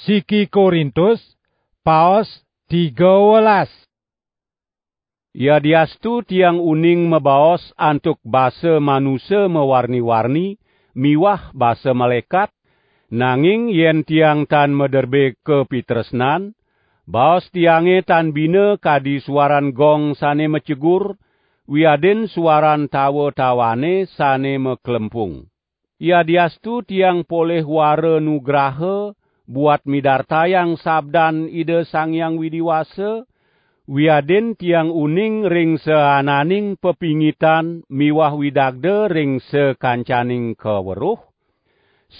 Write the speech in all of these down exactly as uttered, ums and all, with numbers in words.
Siki Korintus, paos tiga welas. Yadiastu tiang uning mabaos antuk basa manusa mawarni-warni miwah basa malaekat, nanging yen tiang tan maderbe kapitresnan, baos tiange tan bina kadi suaran gong sane macegur, wiadin suaran tawa-tawane sane maklempung. Yadiastu tiang polih wara nugraha buat midartayang sabdan Ida Sang Hyang Widi Wasa, wiadin tiang uning ring saananing pepingitan miwah widagda ring sakancaning kaweruh,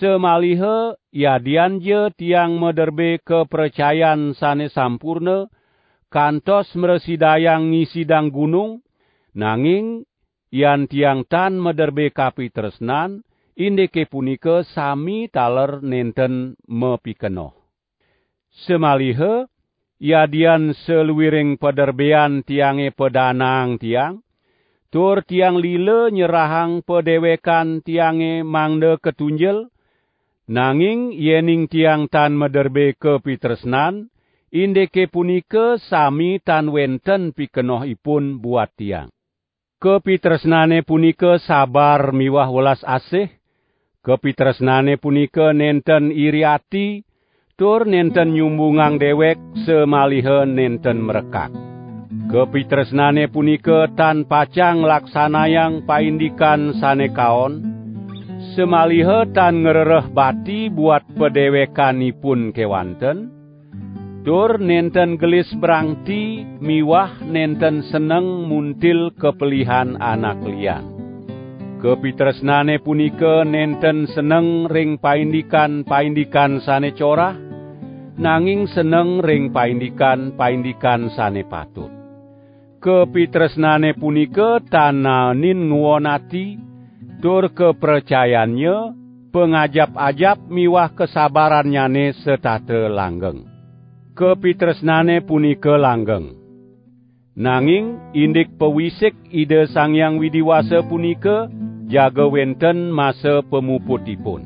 samaliha yadian ja tiang maderbe kapracayan sane sampurna, kantos mrasidayang ngisidang gunung, nanging yan tiang tan maderbe kapitresnan, indike punika sami taler nenten mapikenoh. Samaliha, yadian saluiring paderbean tiange padanaang tiang, tur tiang lila nyerahang padewekan tiange mangda katunjel, nanging yening tiang tan maderbe kapitresnan, indike punika sami tan wenten pikenohipun buat tiang. Kapitresnane punika sabar miwah welas asih. Kapitresnane punika nenten iri ati, tur nenten nyumbungang dewek samaliha nenten mrekak. Kapitresnane punika tan pacang laksanayang paindikan sane kaon, samaliha tan ngrereh bati buat padewekanipun kewanten, tur nenten gelis brangti miwah nenten seneng muntil kapelihan anak lian. Kapitresnane punika nenten seneng ring paindikan-paindikan sane corah, nanging seneng ring paindikan-paindikan sane patut. Kapitresnane punika tan naenin nguon ati, tur kapracayannya, pangajap-ajap miwah kasabarannyane setata langgeng. Kapitresnane punika langgeng. Nanging indik pawisik Ida Sang Hyang Widi Wasa punika jaga wenten masa pamuputipun.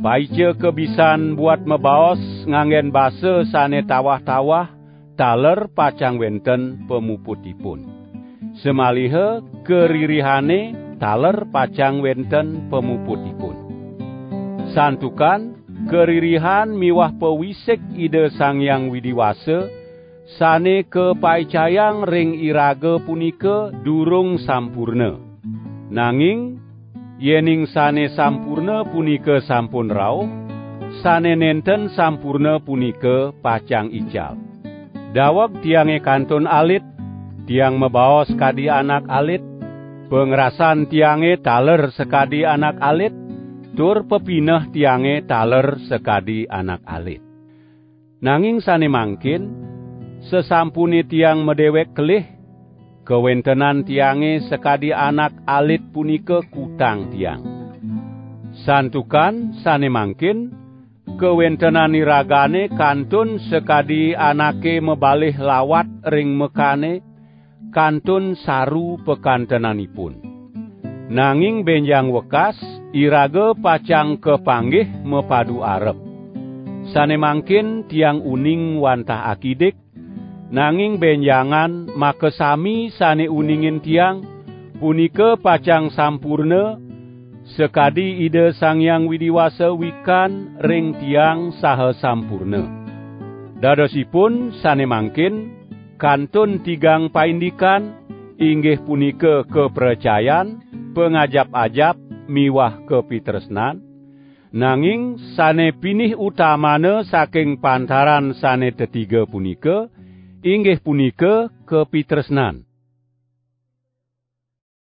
Paica kabisan buat mabaos nganggen basa sane tawah-tawah, taler pacang wenten pamuputipun. Samaliha karirihane taler pacang wenten pamuputipun. Santukan karirihan miwah pawisik Ida Sang Hyang Widi Wasa sane kapaicayang ring iraga punika durung sampurna. Nanging yening sane sampurna punika sampun rauh, sane nenten sampurna punika pacang ical. Daweg tiange kantun alit, tiang mabaos kadi anak alit, pangrasan tiange taler sakadi anak alit, tur pepineh tiange taler sakadi anak alit. Nanging sane mangkin, sasampune tiang madewek kelih, kawentenan tiange sakadi anak alit punika kutang tiang. Santukan sane mangkin, kawentenan iragane kantun sakadi anake mabalih lawat ring mekane, kantun saru pakantenanipun. Nanging benjang wekas, iraga pacang kapanggih mapadu arep. Sane mangkin tiang uning wantah akidik, nanging benjangan makasami sane uningin tiang, punika pacang sampurna, sakadi Ida Sang Hyang Widi Wasa wikan ring tiang saha sampurna. Dadosipun sane mangkin, kantun tigang paindikan, inggih punika kapracayan, pangajap-ajap, miwah kapitresnan, nanging sane pinih utamana saking pantaran sane tetiga punika, inggih punika kapitresnan.